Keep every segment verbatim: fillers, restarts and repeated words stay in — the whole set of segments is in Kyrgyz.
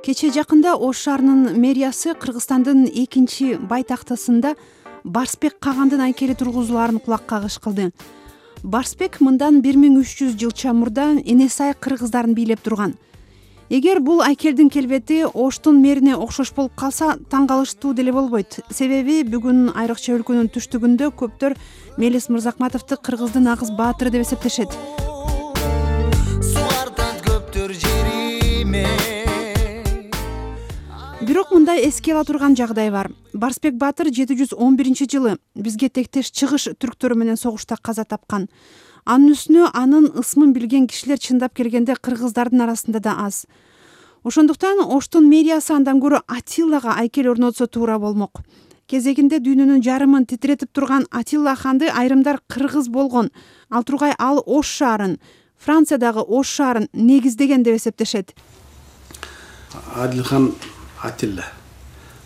Кече жакында Ош шаарынын мэриясы Кыргызстандын экинчи байтактысында Барсбек Кагандын айкели тургузулаарын кулак кагыш кылды. Барсбек мындан бир миң үч жүз жылча мурда Энесай кыргыздарын бийлеп турган. Эгер бул айкелдин келбети Оштун мэрине окшош болуп калса, таң калыштуу деле болбойт. Себеби бүгүн айрыкча өлкөнүн түштүгүндө көптөр Мелис Мырзакматовду кыргыздын агыз баатыры деп эсептешет. Бирок мындай эске ала турган жагдай бар. Барсбек баатыр жети жүз он биринчи жылы бизге тектеш чыгыш түрктөрү менен согушта каза тапкан. Анын үстүнө анын ысмын билген кишилер чындап келгенде кыргыздардын арасында да аз. Ошондуктан Оштун мэриясы андан көрө Атиллага айкел орнотсо туура болмок. Кезегинде дүйнөнүн жарымын титиретип турган Атилла ханды айрымдар кыргыз болгон. Ал тургай ал Ош шаарын, Франциядагы Ош шаарын негиздеген деп эсептешет. Адилхан Атилла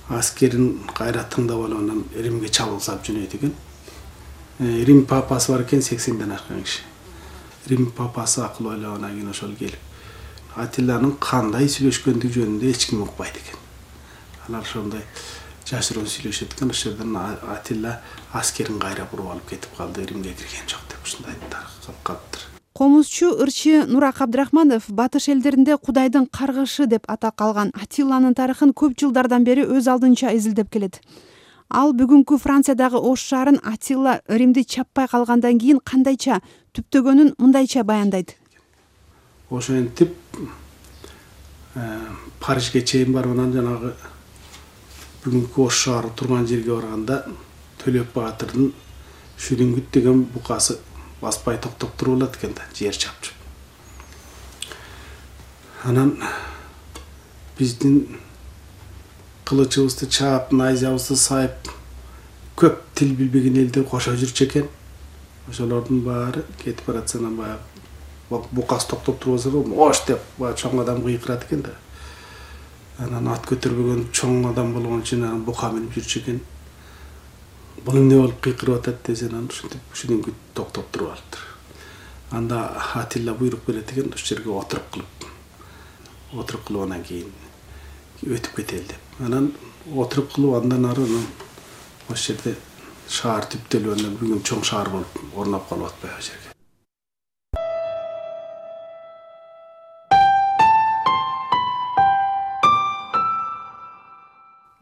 аскерин кайра тыңдап алып анан Римге чабуул салып жөнөйт экен. Рим папасы бар экен, сексенден ашкан киши. Рим папасы акыл ойлогондан кийин ошол келип Атилланын кандай сүйлөшкөндүгү жөнүндө эч ким укпайт экен. Алар ошондой жашыруун сүйлөшөт экен. Ошол жерден Атилла аскерин кайра буруп алып кетип калды, Римге кирген жок деп ушундай таркап калыптыр. Комузчу ырчы Нурак Абдрахманов батыш элдеринде Кудайдын каргышы деп атак алган Атилланын тарыхын көп жылдардан бери өз алдынча изилдеп келет. Ал бүгүнкү Франциядагы Ош шаарын Атилла Римди чаппай калгандан кийин кандайча түптөгөнүн мындайча баяндайт. Ошентип Парижге чейин барып анан жанагы бүгүнкү Ош шаары турган жерге барганда Төлөп баатырдын Шүрүнгүт деген букасы баспай токтоп туруп алат экен да, жер чапчып. Анан биздин кылычыбызды чаап, найзабызды сайып, көп тил билбеген элдер кошо жүрчү экен. Ошолордун баары кетип баратсанан баягы букасы токтоп туруп алса, "Ош" деп баягы чоң адам кыйкырат экен да. Анан ат көтөрбөгөн чоң адам болгон үчүн анан бука минип жүрчү экен. Бул эмне болуп кыйкырып атат десе, анан ушинтип Шүрүнгүт токтоп туруп алыптыр. Анда Атилла буйрук берет экен, ошол жерге отуруп кылып. Отуруп кылып анан кийин өтүп кетели деп. Анан отуруп кылып андан ары ошол жерде шаар түптөлүп анан бүгүн чоң шаар болуп орноп калып атпайбы ошол жерге.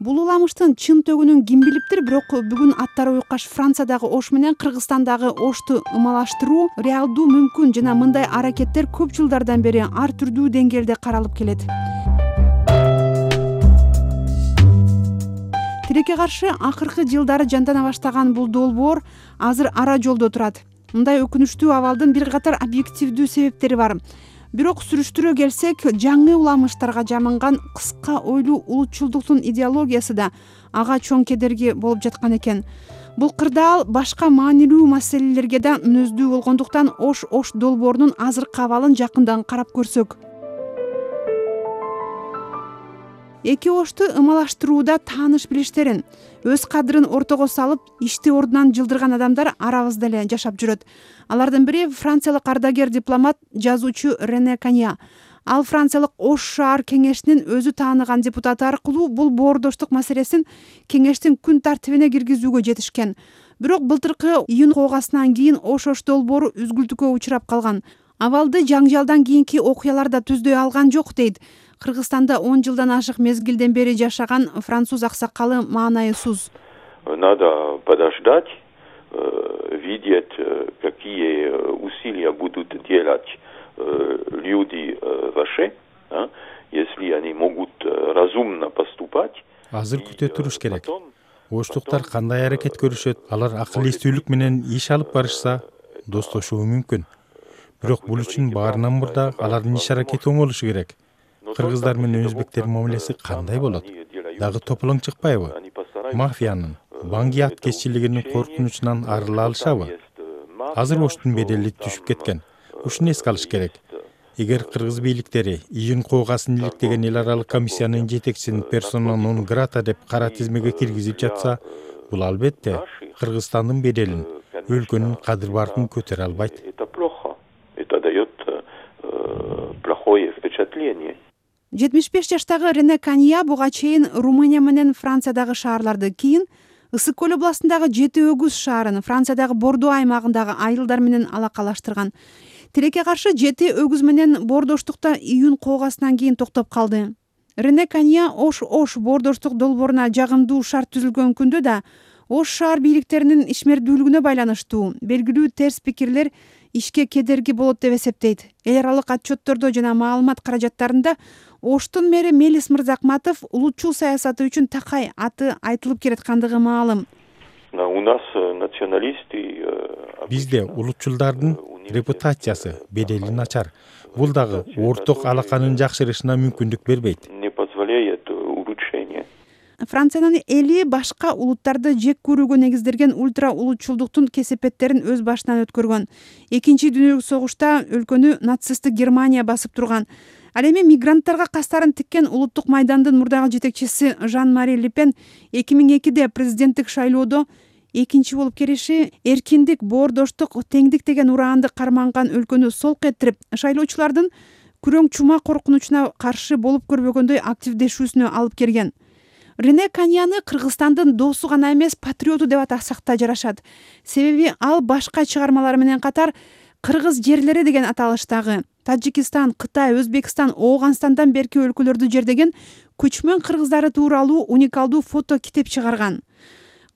Бул уламыштын чын төгүнүн ким билиптир, бирок бүгүн аттары уйкаш Франциядагы Ош менен Кыргызстандагы Ошту ымалаштыруу реалдуу мүмкүн жана мындай аракеттер көп жылдардан бери ар түрдүү деңгээлде каралып келет. Тилекке каршы акыркы жылдары жандана баштаган бул долбоор азыр ара жолдо турат. Мындай өкүнүчтүү абалдын бир катар объективдүү себептери бар. Бирок сүрүштүрө келсек, жаңы уламыштарга жаманган кыска ойлуу улутчулдуктун идеологиясы да ага чоң кедерги болуп жаткан экен. Бул кырдаал башка маанилүү маселелерге да мүнөздүү болгондуктан Ош Ош долбоорунун азыркы абалын жакындан карап көрсөк. Эки Ошту ымалаштырууда тааныш билиштерин, өз кадырын ортого салып, ишти ордунан жылдырган адамдар арабызда эле жашап жүрөт. Алардын бири франциялык ардагер дипломат, жазуучу Рене Канья. Ал франциялык Ош шаар кеңешинин өзү тааныган депутаты аркылуу бул боордоштук маселесин кеңештин күн тартибине киргизүүгө жетишкен. Бирок былтыркы июнь куугасынан кийин Ош Ош долбоору үзгүлтүккө учурап калган. Абалды жаңжалдан кийинки окуялар да түздөй алган жок дейт Кыргызстанда он жылдан ашык мезгилден бери жашаган француз аксакалы Маанай Суз. Надо подождать, видеть, какие усилия будут делать люди ваши, если они могут разумно поступать. Азыр күтө туруш керек. Оштуктар кандай аракет көрүшөт, алар акыл эстүүлүк менен иш алып барышса, достошуу мүмкүн. Бирок бул үчүн баарынан мурда алардын иш аракети оң болушу керек. Кыргыздар менен өзбектердин мамилеси кандай болот? Дагы тополоң чыкпайбы? Мафиянын, банги аткезчилигинин коркунучунан арыла алышабы? Азыр Оштун бедели түшүп кеткен. Ушуну эске алыш керек. Эгер кыргыз бийликтери июнь куугасын иликтеген эл аралык комиссиянын жетекчисин персона нон грата деп кара тизмеге киргизип жатса, бул албетте Кыргызстандын беделин, өлкөнүн кадыр-баркын көтөрө албайт. Это плохо. Это даёт плохое впечатление. жетимиш беш жаштагы Рене Канья буга чейин Румыния менен Франциядагы шаарларды, кийин Ысык көл областындагы Жети Өгүз шаарын, Франциядагы Бордо аймагындагы айылдар менен алакалаштырган. Тилекке каршы Жети Өгүз менен боордоштукта июнь коогасынан кийин токтоп калды. Рене Канья Ош-Ош боордоштук долбооруна жагымдуу шарт түзүлгөн күндө да Ош шаар бийликтеринин ишмердүүлүгүнө байланыштуу белгилүү терс пикирлер ишке кедерги болот деп эсептейт. Эл аралык отчеттордо жана маалымат каражаттарында Оштун мэри Мелис Мырзакматов улутчул саясаты үчүн такай аты айтылып келаткандыгы маалым. У нас националисты. Бизде улутчулдардын репутациясы, бедели начар. Бул дагы орток алаканын жакшырышына мүмкүндүк бербейт. Не позволяет улучшение. Франциянын эли башка улуттарды жек көрүүгө негизделген ультра улутчулдуктун кесепеттерин өз башынан өткөргөн. Экинчи дүйнөлүк согушта өлкөнү нацисттик Германия басып турган. Ал эми мигранттарга кастарын тиккен улуттук майдандын мурдагы жетекчиси Жан-Мари Ле Пен эки миң экиде президенттик шайлоодо экинчи болуп келиши эркиндик, боордоштук, теңдик деген ураанды карманган өлкөнү солк этирип, шайлоочулардын күрөң чума коркунучуна каршы болуп көрбөгөндөй активдешүүсүнө алып келген. Рене Каньяны Кыргызстандын досу гана эмес, патриоту деп атасак да жарашат. Себеби ал башка чыгармалары менен катар Кыргыз жерлери деген аталыштагы Таджикистан, Кытай, Өзбекстан, Ооганстандан берки өлкөлөрдү жердеген көчмөн кыргыздары тууралуу уникалдуу фото китеп чыгарган.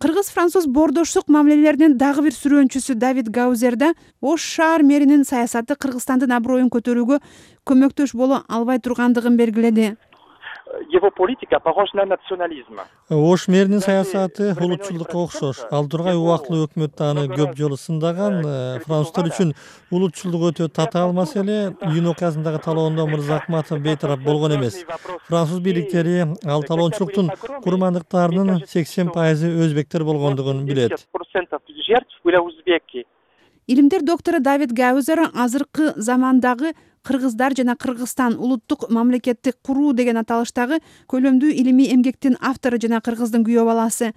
Кыргыз-француз боордоштук мамилелеринин дагы бир сүрөөнчүсү Давид Гаузерда Ош шаар мэринин саясаты Кыргызстандын аброюн көтөрүүгө көмөктөш боло албай тургандыгын белгиледи. Его политика похожа на национализм. Ош мэринин саясаты улутчулдукка окшош. Ал тургай убактылуу өкмөт аны көп жолу сындаган. Француздар үчүн улутчулдук өтө татаал маселе. Июнь окуясындагы талоодо Мырзакматов бейтарап болгон эмес. Француз бийликтери ал талоочулуктун курмандыктарынын сексен пайызы өзбектер болгондугун билет. Илимдер доктору Давид Гаузер азыркы замандагы Кыргыздар жана Кыргызстан улуттук мамлекетти куруу деген аталыштагы көлөмдүү илимий эмгектин автору жана Кыргыздын күйөө баласы.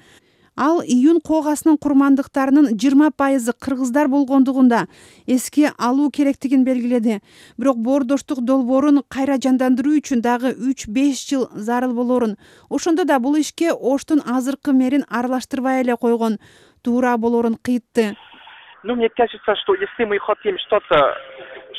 Ал июнь коогаснын курмандыктарынын жыйырма пайызы кыргыздар болгондугунда эске алуу керектигин белгиледи. Бирок боордоштук долбоорун кайра жандандыруу үчүн дагы үч беш жыл зарыл болорун, ошондо да бул ишке Оштун азыркы мэрин аралаштырбай эле койгон туура болорун кыйтты. Ну, мне кажется, что если мы хотим что-то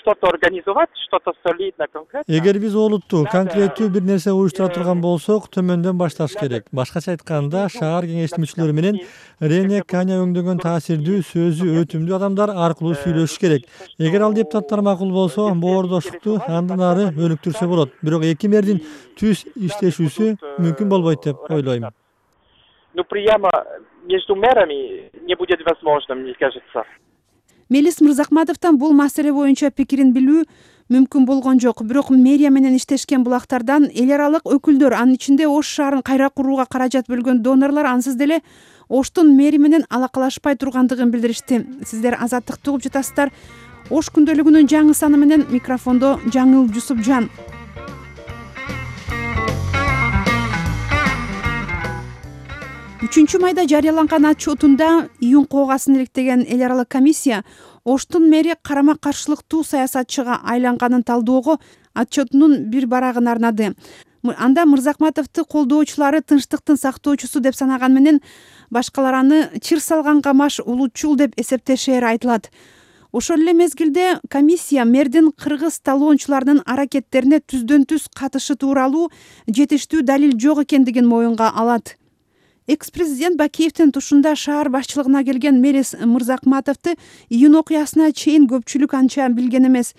что-то организовать, что-то солидно, конкретно. Эгер биз олуттуу, конкреттүү бир нерсе уюштура турган болсок, төмөндөн башташ керек. Башкача айтканда, шаар кеңештин мүчөлөрү менен Рене Канья өңдөгөн таасирдүү, сөзү өтүмдүү адамдар аркылуу сүйлөшүш керек. Эгер ал депутаттар макул болсо, боордоштукту андан ары өнүктүрсө болот. Бирок эки мэрдин түз иштешүүсү мүмкүн болбойт деп ойлойм. Ну, прямо между мэрами не будет возможно, мне кажется. Мелис Мырзакматовдон бул маселе боюнча пикирин билүү мүмкүн болгон жок. Бирок мэрия менен иштешкен булактардан эл аралык өкүлдөр, анын ичинде Ош шаарын кайра курууга каражат бөлгөн донорлор ансыз деле Оштун мэри менен алакалашпай тургандыгын билдиришти. Сиздер Азаттыкты угуп жатасыздар. Ош күндөлүгүнүн жаңы саны менен микрофондо Жаңыл Жусупжан. үчүнчү майда жарыяланган отчетунда июнь коогасын иликтеген эл аралык комиссия Оштун мэри карама-каршылыктуу саясатчыга айланганын талдоого отчетунун бир барагын арнады. Анда Мырзакматовду колдоочулары тынчтыктын сактоочусу деп санаган менен башкалар аны чыр салган камаш улутчул деп эсептешери айтылат. Ошол эле мезгилде комиссия мэрдин кыргыз талоончуларынын аракеттерине түздөн түз катышы тууралуу жетиштүү далил жок экендигин моюнга алат. Экс-президент Бакиевдин тушунда шаар башчылыгына келген Мелис Мырзакматовду июнь окуясына чейин көпчүлүк анча билген эмес.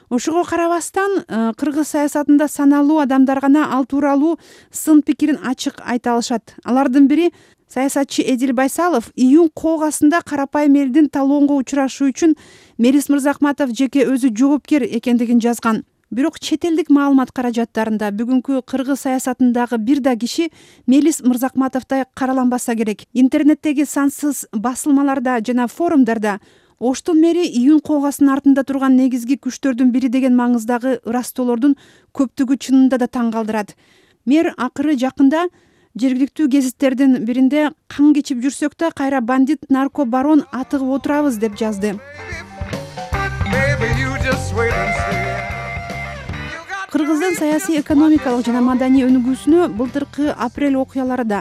Ошого карабастан кыргыз саясатында саналуу адамдар гана ал тууралуу сын пикирин ачык айта алышат. Алардын бири саясатчы Эдил Байсалов июнь коогасында карапайым элдин талоонго учурашуу үчүн Мелис Мырзакматов жеке өзү жоопкер экендигин жазган. Бирок чет элдик маалымат каражаттарында бүгүнкү кыргыз саясатындагы бир да киши Мелис Мырзакматовдой караланбаса керек. Интернеттеги сансыз басылмаларда жана форумдарда Оштун мэри июнь коогасынын артында турган негизги күчтөрдүн бири деген маңыздагы ырастоолордун көптүгү чынында да таң калтырат. Мэр акыры жакында жергиликтүү гезиттердин биринде кан кечип жүрсөк да кайра бандит наркобарон атыгып отурабыз деп жазды. кыргыздын саясий экономикалык жана маданий өнүгүүсүнө былтыркы апрель окуялары да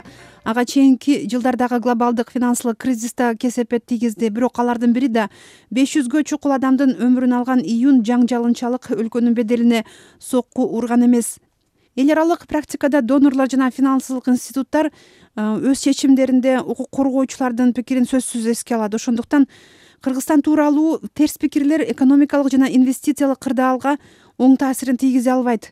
ага чейинки жылдардагы глобалдык финансылык кризис да кесепет тийгизди. Бирок алардын бири да беш жүзгө чукул адамдын өмүрүн алган июнь жаңжалынчалык өлкөнүн беделине сокку урган эмес. Эл аралык практикада донорлор жана финансылык институттар өз чечимдеринде укук коргоочулардын пикирин сөзсүз эске алат. Ошондуктан Кыргызстан тууралуу терс пикирлер экономикалык жана инвестициялык кырдаалга оң таасирин тийгизе албайт.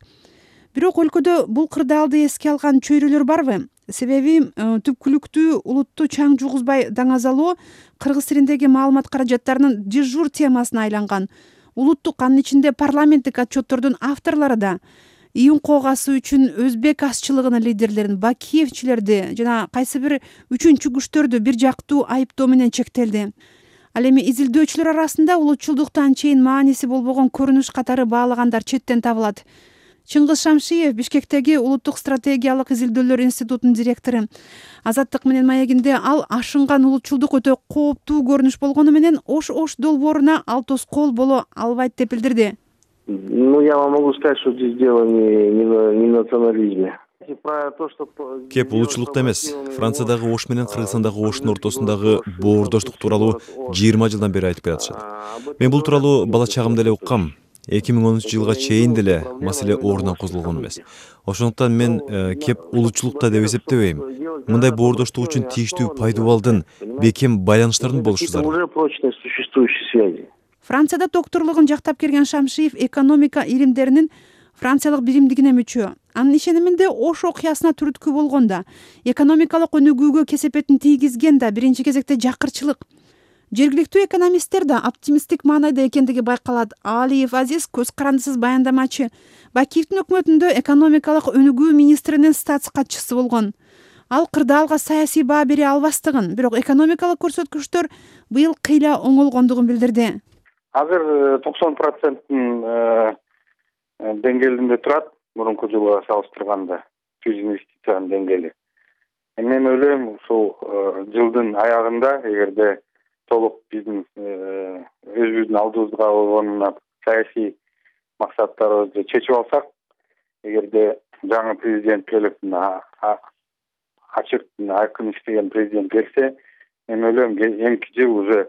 Бирок өлкөдө бул кырдаалды эске алган чөйрөлөр барбы? Себеби түпкүлүктүү улутту чаң жугузбай даңазалоо кыргыз тилиндеги маалымат каражаттарынын дежур темасына айланган. Улуттук, анын ичинде парламенттик отчеттордун авторлору да июнь коогасы үчүн өзбек азчылыгынын лидерлерин, бакиевчилерди жана кайсы бир үчүнчү күчтөрдү бир жактуу айыптоо менен чектелди. Ал эми изилдөөчүлөр арасында улутчулдукту анчейин мааниси болбогон көрүнүш катары баалагандар четтен табылат. Чыңгыз Шамшиев Бишкектеги Улуттук стратегиялык изилдөөлөр институтунун директору. Азаттык менен маегинде ал ашынган улутчулдук өтө кооптуу көрүнүш болгону менен ош-ош долбооруна ал тоскоол боло албайт деп билдирди. Ну, я вам могу сказать, что здесь дело не, не, не в национализме. Кеп улутчулукта эмес. Франциядагы ош менен Кыргызстандагы оштун ортосундагы боордоштук тууралуу жыйырма жылдан бери айтып келатышат. Мен бул тууралуу бала чагымда эле уккам. эки миң онунчу жылга чейин деле маселе ордунан козголгон эмес. Ошондуктан мен э, кеп улутчулукта деп эсептебейм. Мындай боордоштук үчүн тийиштүү пайдубалдын, бекем байланыштардын болушу зарыл. Францияда докторлугун жактап келген Шамшиев экономика илимдеринин франциялык биримдигине мүчө. Анын ишениминде ош окуясына түрткү болгон да, экономикалык өнүгүүгө кесепетин тийгизген да биринчи кезекте жакырчылык. Жергиликтүү экономисттер да оптимисттик маанайда экендиги байкалат. Алиев Азиз көз карандысыз баяндамачы. Бакиевдин өкмөтүндө экономикалык өнүгүү министринин статс катчысы болгон. Ал кырдаалга саясий баа бере албастыгын, бирок экономикалык көрсөткүчтөр быйыл кыйла оңолгондугун билдирди. Азыр токсон проценттин деңгээлинде турат, мурунку жылга салыштырганда түз инвестициянын деңгээли. Мен ойлойм, ушул жылдын аягында эгерде толук биздин өзүбүздүн алдыбызга койгон саясий максаттарыбызды чечип алсак, эгерде жаңы президент келип ачык айкын иштеген президент келсе, мен ойлойм, эмки жыл уже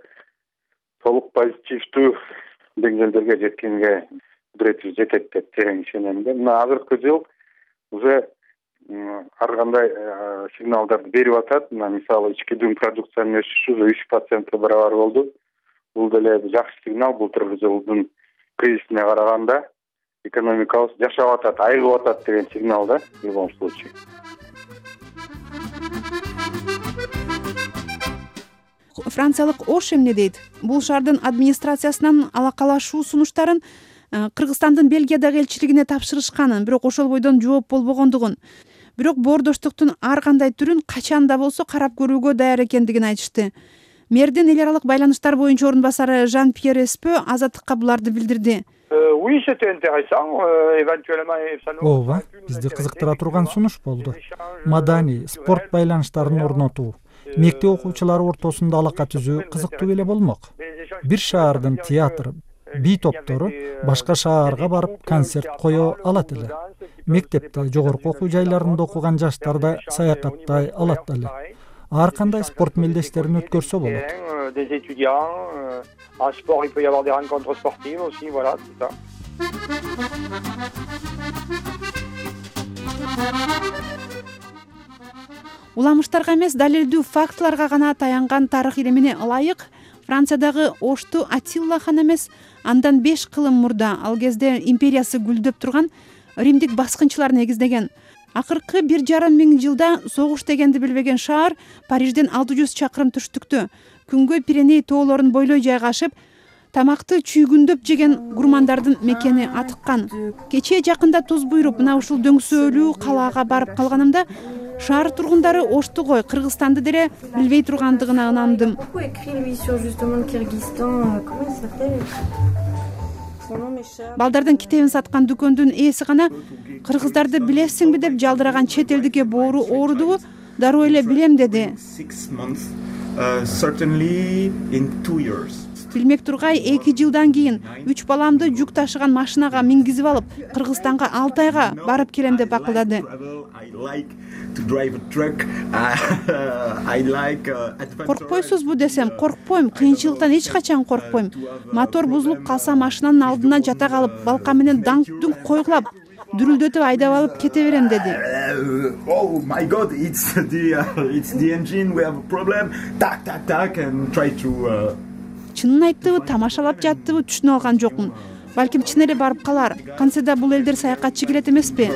толук позитивдүү деңгээлдерге жеткенге кудуретибиз жетет деп терең ишенем да. Мына азыркы жыл уже ар кандай сигналдарды берип атат. Мына мисалы ички дүң продукциянын өсүшү үч процентке барабар болду. Бул деле жакшы сигнал. Былтыркы жылдын кризисине караганда экономикабыз жашап атат, айыгып атат деген сигнал да, в любом случае. Франциялык Ош эмне дейт? Бул шаардын администрациясынан алакалашуу сунуштарын Кыргызстандын Бельгиядагы элчилигине тапшырышканын, бирок ошол бойдон жооп болбогондугун, бирок боордоштуктун ар кандай түрүн качан да болсо карап көрүүгө даяр экендигин айтышты. Мэрдин эл аралык байланыштар боюнча орун басары Жан-Пьер Эспө Азаттыкка буларды билдирди. Ооба, бизди кызыктыра турган сунуш болду. Маданий, спорт байланыштарын орнотуу, мектеп окуучулары ортосунда алака түзүү кызыктуу эле болмок. Бир шаардын театры, би топтору башка шаарга барып концерт кое алат эле. Мектепте, жогорку окуу жайларында окуган жаштар да саякаттай алат эле. Ар кандай спорт мелдештерин өткөрсө болот. Уламыштарга эмес, далилдүү фактыларга гана таянган тарых илимине ылайык Франциядагы Ошту Атилла хан эмес, андан беш кылым мурда, ал кезде империясы гүлдөп турган римдик баскынчылар негиздеген. Акыркы бир жарым миң жылда согуш дегенди билбеген шаар Парижден алты жүз чакырым түштүктө, күнгөй Пиреней тоолорун бойлой жайгашып, тамакты чүйгүндөп жеген гурмандардын мекени атыккан. Кечээ жакында туз буйруп, мына ушул дөңсөөлүү калаага барып калганымда, шаар тургундары Ошту кой, Кыргызстанды деле билбей тургандыгына ынандым. Балдардын китебин саткан дүкөндүн ээси гана кыргыздарды билесиңби деп жалдыраган чет элдикке боору оорудубу, дароо эле билем деди. Билмек тургай, эки жылдан кийин үч баламды жүк ташыган машинага мингизип алып, Кыргызстанга алты айга барып келем деп акылдады. Коркпойсузбу десем, коркпойм, кыйынчылыктан эч качан коркпойм. Мотор бузулуп калса машинанын алдына жата калып, балка менен даңк-дүңк койгулап, дүрүлдөтүп айдап алып кете берем деди. Oh my god, it's the uh, it's the engine, we have a problem. Так так так and try to uh... Чынын айттыбы, тамашалап жаттыбы түшүнө алган жокмун. Балким чын эле барып калар. Кантсе да бул элдер саякатчы келет эмеспи?